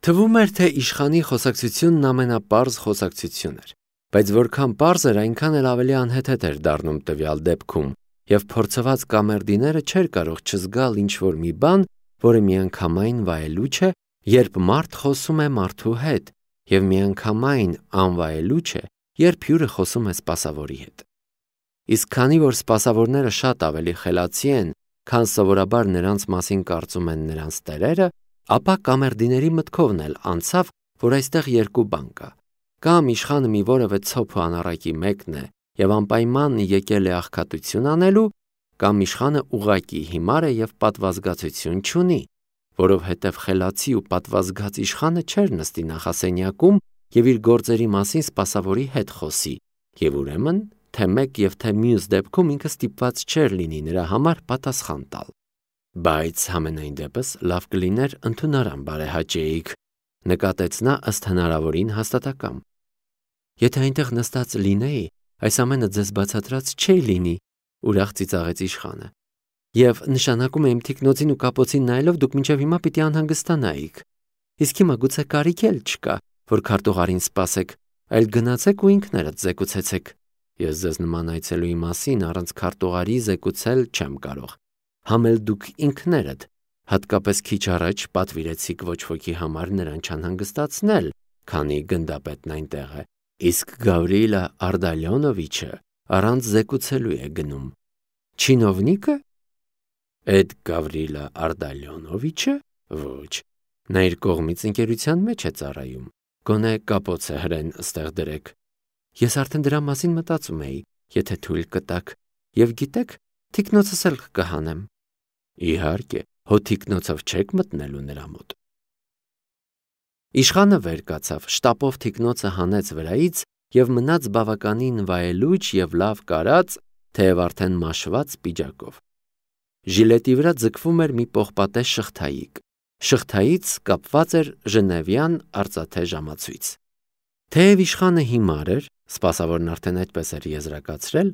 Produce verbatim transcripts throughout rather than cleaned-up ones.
Թվում էր, թե իշխանի խոսակցությունն ամենապարզ խոսակցություն էր, բայց որքան պարզ էր, այնքան էլ ավելի անհեթեթ էր դառնում տվյալ դեպքում, և փորձված կամերդիները չէր կարող չզգալ ինչ-որ մի բան, որը միանգամայն վայելուչ է, երբ մարդ խոսում է մարդու հետ, և միանգամայն անվայելուչ է, երբ հյուրը խոսում է սպասավորի հետ։ Իսկ քանի որ սպասավորները շատ ավելի խելացի են, քան սովորաբար նրանց մասին կարծում են նրանց տերերը, ապա կամերդիների մտքովն էլ անցավ, որ այստեղ երկու բան կա. կամ իշխանը մի որևէ ցոփ ու անառակի մեկն է և անպայման եկել է աղքատություն անելու, կամ իշխանը ուղղակի հիմար է և պատվազգացություն չունի, որովհետև խելացի ու պատվազգաց իշխանը չէր նստի նախասենյակում և իր գործերի մասին սպասավորի հետ խոսի, և ուրեմն թե մեկ և թե մյուս դեպքում ինքը ստիպված չէր լինի նրա համար պատասխան տալ։ Բայց համենայն դեպս լավ կլիներ ընդունարան բարեհաճեիք, նկատեց նա ըստ հնարավորին հաստատակամ։ Եթե այնտեղ նստած լինեի, այս ամենը ձեզ բացատրած չէի լինի, ուրախ ծիծաղեց իշխանը։ Եվ նշանակում է իմ թիկնոցին ու կապոցին նայելով դուք մինչև հիմա պիտի անհանգստանայիք։ Իսկ հիմա գուցե կարիք էլ չկա, որ քարտուղարին սպասեք, այլ գնացեք ու ինքներդ զեկուցեցեք։ Ես ձեզ նման այցելուի մասին առանց քարտուղարի զեկուցել չեմ կարող։ Համ էլ դուք ինքներդ, հատկապես քիչ առաջ պատվիրեցիք ոչ ոքի համար նրան չանհանգստացնել, քանի գնդապետն այնտեղ է, իսկ Գավրիլա Արտալյոնովիչը առանց զեկուցելու է գնում։ Չինովնիկը։ Էդ Գավրիլա Արտալյոնովիչը։ Ոչ, նա իր կողմից ընկերության մեջ է ծառայում, գոնե կապոցը հրեն ստեղ դրեք։ Ես արդեն դրա մասին մտածում էի, եթե թույլ կտաք, և գիտեք, թիկնոցս էլ կհանեմ։ Իհարկե, հո թիկնոցով չեք մտնելու նրա մոտ։ Իշխանը վեր կացավ, շտապով թիկնոցը հանեց վրայից և մնաց բավականին վայելուչ և լավ կարած, թեև արդեն մաշված պիջակով։ Ժիլետի վրա ձգվում էր մի պողպատե շղթայիկ։ Շղթայից կապված էր ժնևյան արծաթե ժամացույց։ Թեև իշխանը հիմար էր, սպասավորն արդեն այդպես էր եզրակացրել,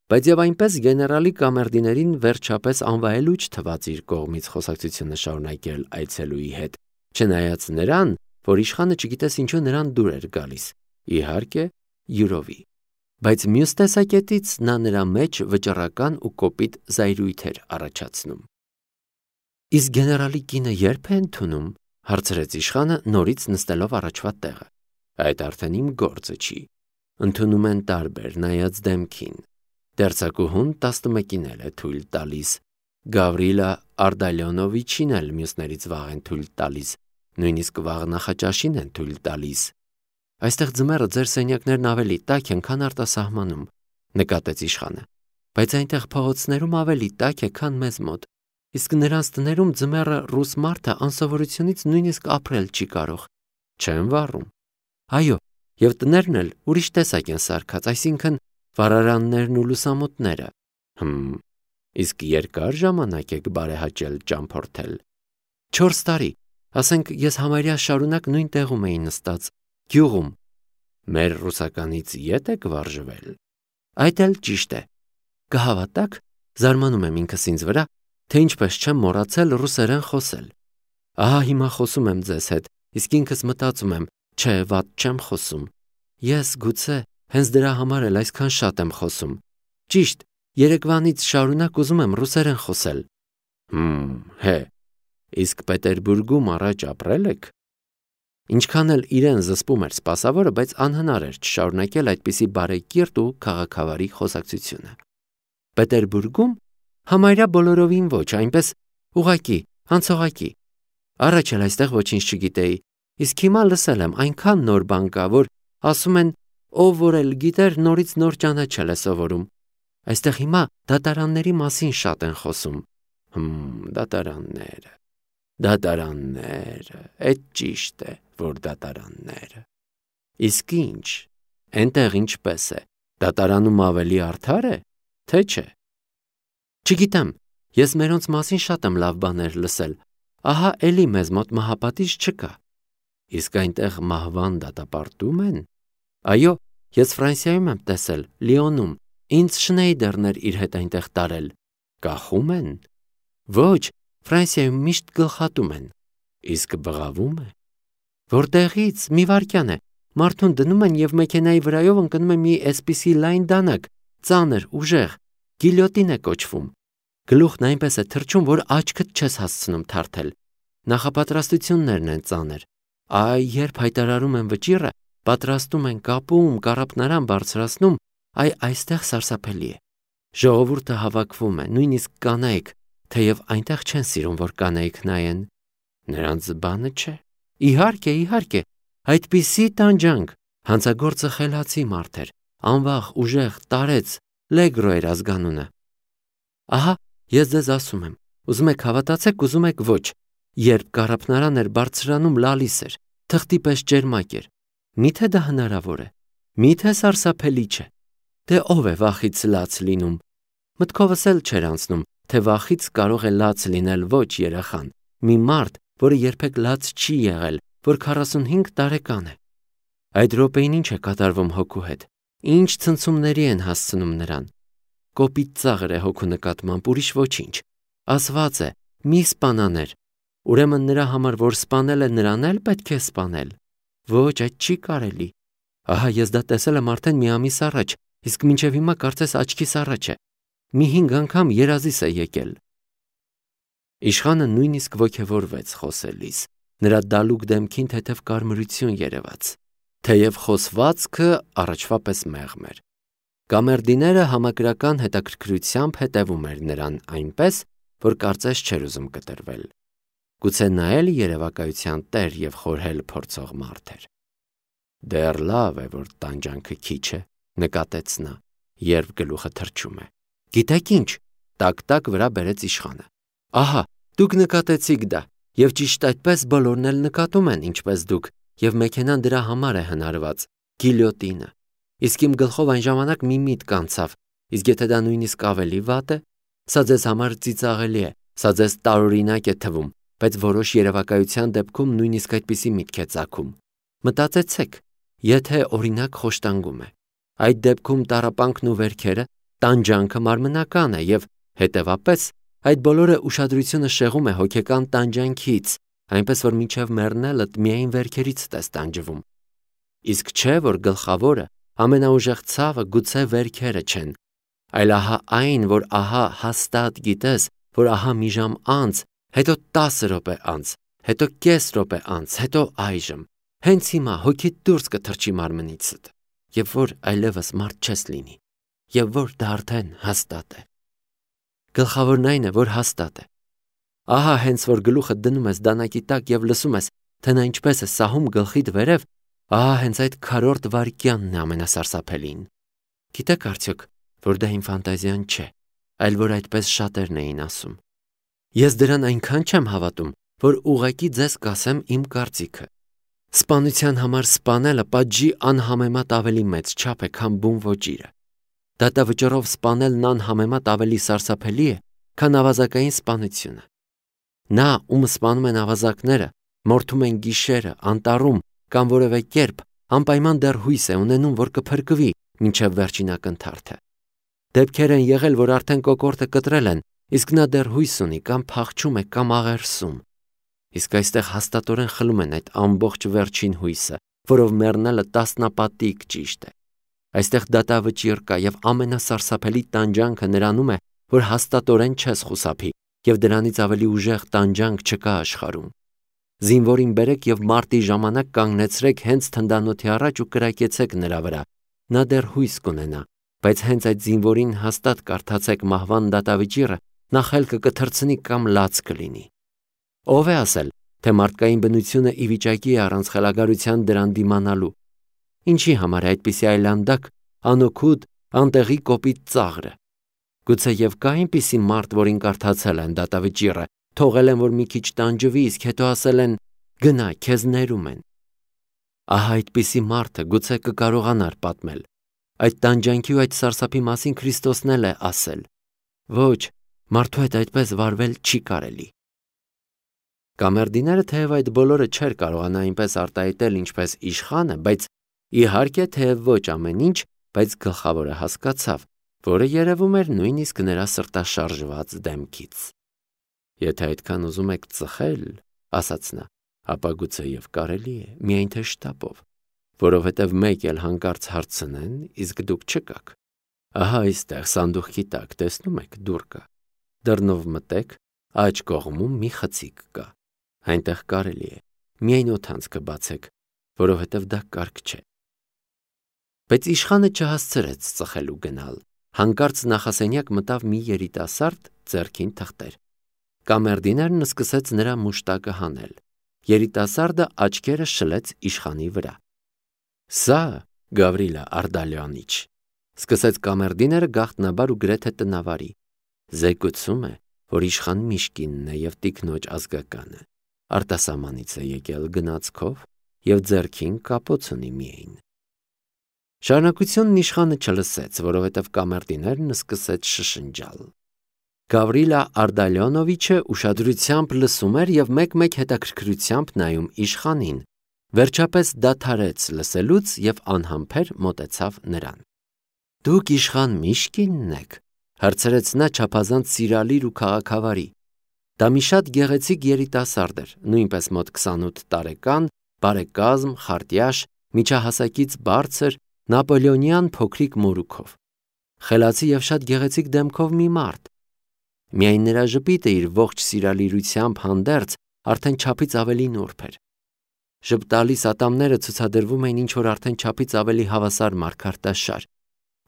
բայց և այնպես գեներալի կամերդիներին վերջապես անվայելուչ թվաց իր կողմից խոսակցությունը շարունակել այցելուի հետ, չնայած նրան, որ իշխանը չգիտես ինչու նրան դուր էր գալիս, իհարկե, յուրովի, բայց մյուս տեսակետից նա նրա մեջ վճռական ու կոպիտ զայրույթ էր առաջացնում։ Իսկ գեներալի կինը ե՞րբ է ընդունում, հարցրեց իշխանը նորից նստելով առաջվա տեղը։ Այդ արդեն իմ գործը չի։ Ընդունում են տարբեր, նայած դեմքին։ Դերձակուհուն տասնմեկին էլ է թույլ տալիս, Գավրիլա Արտալյոնովիչին էլ մյուսներից վաղ են թույլ տալիս, նույնիսկ վաղ նախաճաշին են թույլ տալիս։ Այստեղ ձմեռը ձեր սենյակներն ավելի տաք են, քան արտասահմանում, նկատեց իշխանը, բայց այնտեղ փողոցներում ավելի տաք է, քան մեզ մոտ, իսկ նրանց տներում ձմեռը ռուս մարդը անսովորությունից նույնիսկ ապրել չի կարող։ Չեմ վառում։ Այո, և տներն էլ ուրիշ տեսակ են սարքած, այսինքն վառարաններն ու լուսամուտները։ Հմ, իսկ երկար ժամանակ եք բարեհաճել ճամփորդել։ Չորս տարի, ասենք ես համարյա շարունակ նույն տեղում էի նստած, գյուղում։ Մեր ռուսականից ետ եք վարժվել։ Այդ էլ ճիշտ է։ Կհավատաք, զարմանում եմ ինքս ինձ վրա, թե ինչպես չեմ մոռացել ռուսերեն խոսել։ Ահա հիմա խոսում եմ ձեզ հետ, իսկ ինքս մտածում եմ, չէ, վատ չեմ խոսում։ Ես գուցե հենց դրա համար էլ այսքան շատ եմ խոսում։ Ճիշտ, երեկվանից շարունակ ուզում եմ ռուսերեն խոսել։ Հմ, հե, իսկ Պետերբուրգում առաջ ապրել եք։ Ինչքան էլ իրեն զսպում էր սպասավորը, բայց անհնար էր չշարունակել այդպիսի բարեկիրթ ու քաղաքավարի խոսակցությունը։ Պետերբուրգում համարյա բոլորովին ոչ, այնպես ուղղակի, անցողակի։ Առաջ էլ այստեղ ոչինչ չգիտեի, իսկ հիմա լսել եմ այնքան նոր բան կա, որ ասում են, ով որ էլ գիտեր, նորից նոր ճանաչել է սովորում։ Այստեղ հիմա դատարանների մասին շատ են խոսում։ Հմ, դատարանները, դատարանները, էդ ճիշտ է, որ դատարանները։ Իսկ ինչ, այնտեղ ինչպես է, դատարանում ավելի արդար է, թե չէ։ Չգիտեմ, ես մերոնց մասին շատ եմ լավ բաներ լսել, ահա էլի մեզ մոտ մահապատիժ չկա։ Իսկ այնտեղ մահվան դատապարտում են։ Այո, ես Ֆրանսիայում եմ տեսել, Լիոնում, ինձ Շնեյդերն էր իր հետ այնտեղ տարել։ Կախում են։ Ոչ, Ֆրանսիայում միշտ գլխատում են։ Իսկ բղավում է։ Որտեղից մի վայրկյան է, մարդուն դնում են եւ մեքենայի վրայով ընկնում է մի այսպիսի լայն դանակ, ծանր, ուժեղ, գիլյոտին է կոչվում։ Գլուխն այնպես է թրջում, որ աչքդ չես հասցնում թարթել։ Նախապատրաստություններն են ծանր։ Այ երբ հայտարարում են վճիռը, պատրաստում են կապում, կառափնարան բարձրացնում, այ այստեղ սարսափելի է։ Ժողովուրդը հավաքվում է, նույնիսկ կանայք, թեև այնտեղ չեն սիրում, որ կանայք նայեն։ Նրանց բանը չէ։ Իհարկե, իհարկե, այդպիսի տանջանք, հանցագործը խելացի մարդ էր, անվախ, ուժեղ, տարեց, լեգրո էր ազգանունը։ Ահա, ես ձեզ ասում եմ, ուզում եք հավատացեք, ուզում եք ոչ, երբ կառափնարան էր բարձրանում, լալիս էր, թղթի պես ջերմակ էր։ Միթե դա հնարավոր է, միթե սարսափելի չէ։ Դե ով է վախից լաց լինում։ Մտքովս էլ չէր անցնում, թե վախից կարող է լաց լինել ոչ երեխան, մի մարդ, որը երբեք լաց չի եղել, որ քառասունհինգ տարեկան է։ Այդ րոպեին ինչ է կատարվում հոգու հետ, ինչ ցնցումների են հասցնում նրան։ Կոպիտ ծաղր է հոգու նկատմամբ, ուրիշ ոչինչ։ Ասված է՝ մի սպանաներ։ Ուրեմն նրա համար, որ սպանել է, նրան էլ պետք է սպանել։ Ոչ, այդ չի կարելի։ Ահա ես դա տեսել եմ արդեն մի ամիս առաջ, իսկ մինչև հիմա կարծես աչքիս առաջ է։ Մի հինգ անգամ երազիս է եկել։ Իշխանը նույնիսկ ոգևորվեց խոսելիս, նրա դալուկ դեմքին թեթև կարմրություն երևաց, թեև խոսվածքը առաջվա պես մեղմ էր։ Կամերդիները համակրական հետաքրքրությամբ հետևում էր նրան այնպես, որ կարծես չէր ուզում կտրվել։ Գուցե նա էլ երևակայության տեր եւ խորհել փորձող մարդ էր։ Դեռ լավ է, որ տանջանքը քիչ է, նկատեց նա, երբ գլուխը թրջում է։ Գիտեք ինչ, տակ-տակ վրա բերեց իշխանը։ Ահա, դուք նկատեցիք դա, եւ ճիշտ այդպես բոլորն էլ նկատում են, ինչպես դուք, եւ մեքենան դրա համար է հնարված, գիլյոտինը։ Իսկ իմ գլխով այն ժամանակ մի միտք անցավ, իսկ եթե դա նույնիսկ ավելի վատ է, սա ձեզ համար ծիծաղելի է, սա ձեզ տարօրինակ է թվում, բայց որոշ երևակայության դեպքում նույնիսկ այդպիսի միտք է ծագում։ Մտածեցեք, եթե օրինակ խոշտանգում է, այդ դեպքում տառապանքն ու վերքերը, տանջանքը մարմնական է եւ հետեւապես այդ բոլորը ուշադրությունը շեղում է հոգեկան տանջանքից, այնպես որ մինչև մեռնելդ միայն վերքերից ես տանջվում։ Իսկ չէ, որ գլխավորը, ամենաուժեղ ցավը գուցե վերքերը չեն, այլ ահա այն, որ ահա հաստատ գիտես, որ ահա մի ժամ անց, հետո տասը րոպե անց, հետո կես րոպե անց, հետո այժմ, հենց հիմա հոգիդ դուրս կթռչի մարմնիցդ, եւ որ այլևս մարդ չես լինի, եւ որ դա արդեն հաստատ է։ Գլխավորն այն է, որ հաստատ է։ Ահա հենց որ գլուխը դնում ես դանակի տակ եւ լսում ես, թե նա ինչպես է սահում գլխիդ վերև, ահա հենց այդ քառորդ վայրկյանն է ամենասարսափելին։ Գիտեք արդյոք, որ դա իմ ֆանտազիան չէ, այլ որ այդպես շատերն էին ասում։ Ես դրան այնքան չեմ հավատում, որ ուղղակի ձեզ կասեմ իմ կարծիքը։ Սպանության համար սպանելը պատժի անհամեմատ ավելի մեծ չափ է, քան բուն ոճիրը։ Դատավճռով սպանելն անհամեմատ ավելի սարսափելի է, քան ավազակային սպանությունը։ Նա, ում սպանում են ավազակները, մորթում են գիշերը, անտառում կամ որևէ կերպ, անպայման դեռ հույս է ունենում, որ կփրկվի մինչև վերջին ակնթարթը։ Դեպքեր են եղել, որ արդեն կոկորդը կտրել են, իսկ նա դեռ հույս ունի, կամ փախչում է, կամ աղերսում։ Իսկ այստեղ հաստատորեն խլում են այդ ամբողջ վերջին հույսը, որով մեռնելը տասնապատիկ ճիշտ է։ Այստեղ դատավճիռ կա եւ ամենասարսափելի տանջանքը նրանում է, որ հաստատորեն չես խուսափի եւ դրանից ավելի ուժեղ տանջանք չկա աշխարհում։ Զինվորին բերեք եւ մարտի ժամանակ կանգնեցրեք հենց թնդանոթի առաջ ու կրակեցեք նրա վրա։ Նա դեռ հույս կունենա, բայց հենց այդ զինվորին հաստատ կարդացեք մահվան դատավճիռը, նա խելքը կթռցնի կամ լաց կլինի։ Ով է ասել, թե մարդկային բնությունը ի վիճակի է առանց խելագարության դրան դիմանալու։ Ինչի համար է այդպիսի այլանդակ, անօգուտ, անտեղի կոպիտ ծաղրը։ Գուցե եւ կա այնպիսի մարդ, որին կարդացել են դատավճիռը, թողել են, որ մի քիչ տանջվի, իսկ հետո ասել են՝ գնա, քեզ ներում են։ Ահա այդպիսի մարդը գուցե կկարողանար պատմել։ Այդ տանջանքի ու այդ սարսափի մասին Քրիստոսն էլ է ասել։ Ոչ, մարդու հետ այդպես վարվել չի կարելի։ Կամերդիները թեև այդ բոլորը չէր կարողանա այնպես արտահայտել, ինչպես իշխանը, բայց իհարկե թեև ոչ ամեն ինչ, բայց գլխավորը հասկացավ, որը երևում էր նույնիսկ նրա սրտաշարժված դեմքից։ Եթե այդքան ուզում եք ծխել, ասաց նա, ապա գուցեև կարելի է, միայն թե շտապով, որովհետև մեկ էլ հանկարծ հարցնեն, իսկ դուք չկաք։ Ահա այստեղ սանդուղքի տակ տեսնում եք դուռ կա։ Դռնով մտեք, աջ կողմում մի խցիկ կա։ Այնտեղ կարելի է, միայն օդանցքը բացեք, որովհետև դա կարգ չէ։ Բայց իշխանը չհասցրեց ծխելու գնալ։ Հանկարծ նախասենյակ մտավ մի երիտասարդ, ձեռքին թղթեր։ Կամերդիներն սկսեց նրա մուշտակը հանել։ Երիտասարդը աչքերը շլեց իշխանի վրա։ Սա Գավրիլա Արդալյանիչ, սկսեց կամերդիները գաղտնաբար ու գրեթե տնավարի։ Զեկուցում է, որ իշխան Միշկինն է և տիկնոջ ազգականը, արտասահմանից է եկել գնացքով և ձեռքին կապոց ունի միայն։ Շարունակությունն իշխանը չլսեց, որովհետև կամերդիներն սկսեց շշնջալ։ Գավրիլա Արդալյոնովիչը ուշադրությամբ լսում էր և մեկ-մեկ հետաքրքրությամբ նայում իշխանին, վերջապես դադարեց լսելուց և անհամբեր մոտեցավ նրան։ Դուք իշխան Միշկինն եք, հարցրեց նա չափազանց սիրալիր ու քաղաքավարի։ Դա մի շատ գեղեցիկ երիտասարդ էր, նույնպես մոտ քսանութ տարեկան, բարեկազմ, խարտյաշ, միջահասակից բարձր, նապոլեոնյան փոքրիկ մորուքով, խելացի և շատ գեղեցիկ դեմքով մի մարդ։ Միայն նրա ժպիտը իր ողջ սիրալիրությամբ հանդերձ արդեն չափից ավելի նուրբ էր։ Ժպտալի ատամները ցուցադրվում էին ինչ-որ արդեն չափից ավելի հավասար մարգարտաշար։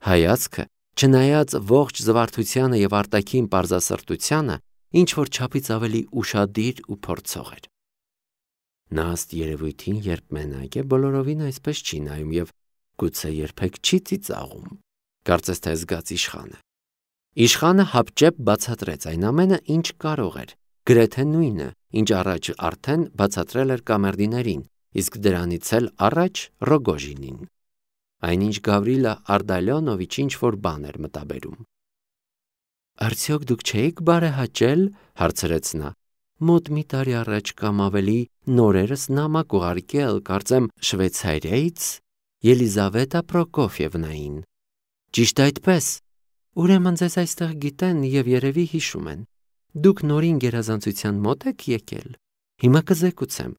Հայացքը, չնայած ողջ զվարթությանը և արտաքին պարզասրտությանը, ինչ-որ չափից ավելի ուշադիր ու փորձող էր։ Նա ըստ երևույթին, երբ մենակ է, բոլորովին այսպես չի նայում և գուցե երբեք չի ծիծաղում, կարծես թե զգաց իշխանը։ Իշխանը հապճեպ բացատրեց այն ամենը, ինչ կարող էր, գրեթե նույնը, ինչ առաջ արդեն բացատրել էր կամերդիներին, իսկ դրանից էլ առաջ Ռոգոժինին։ Այնինչ Գավրիլա Արդալյոնովիչ ինչ-որ բան էր մտաբերում։ Արդյոք դուք չէիք բարեհաճել, հարցրեց նա, մոտ մի տարի առաջ կամ ավելի նորերս նամակ ուղարկել, կարծեմ Շվեյցարիայից, Ելիզավետա Պրոկոֆիևնային։ Ճիշտ այդպես։ Ուրեմն ձեզ այստեղ գիտեն և երևի հիշում են։ Դուք նորին գերազանցության մոտ եք եկել։ Հիմա կզեկուցեմ,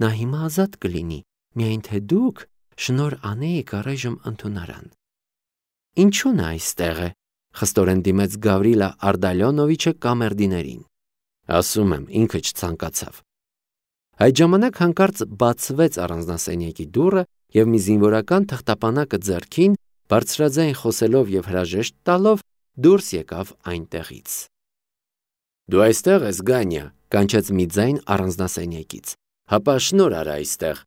նա հիմա ազատ կլինի, միայն թե դուք շնոր անեիք առայժմ ընդունարան։ Ինչու նա այստեղ է, խստորեն դիմեց Գավրիլա Արդալյոնովիչը կամերդիներին։ Ասում եմ, ինքը չցանկացավ։ Այդ ժամանակ հանկարծ բացվեց առանձնասենյակի դուռը և մի զինվորական թղթապանակը ձեռքին, բարձրաձայն խոսելով և հրաժեշտ տալով, դուրս եկավ այնտեղից։ Դու այստեղ ես, Գանյա, կանչեց մի ձայն առանձնասենյակից։ Հապա շնոր արա այստեղ։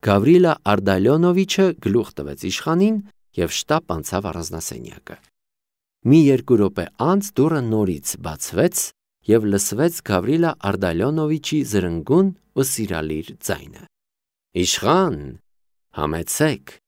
Գավրիլա Արդալյոնովիչը գլուխ տվեց իշխանին և շտապ անցավ առանձնասենյակը։ Մի երկու րոպե անց դուռը նորից բացվեց և լսվեց Գավրիլա Արդալյոնովիչի զրնգուն ու սիրալիր ձայնը. Իշխան, համեցեք։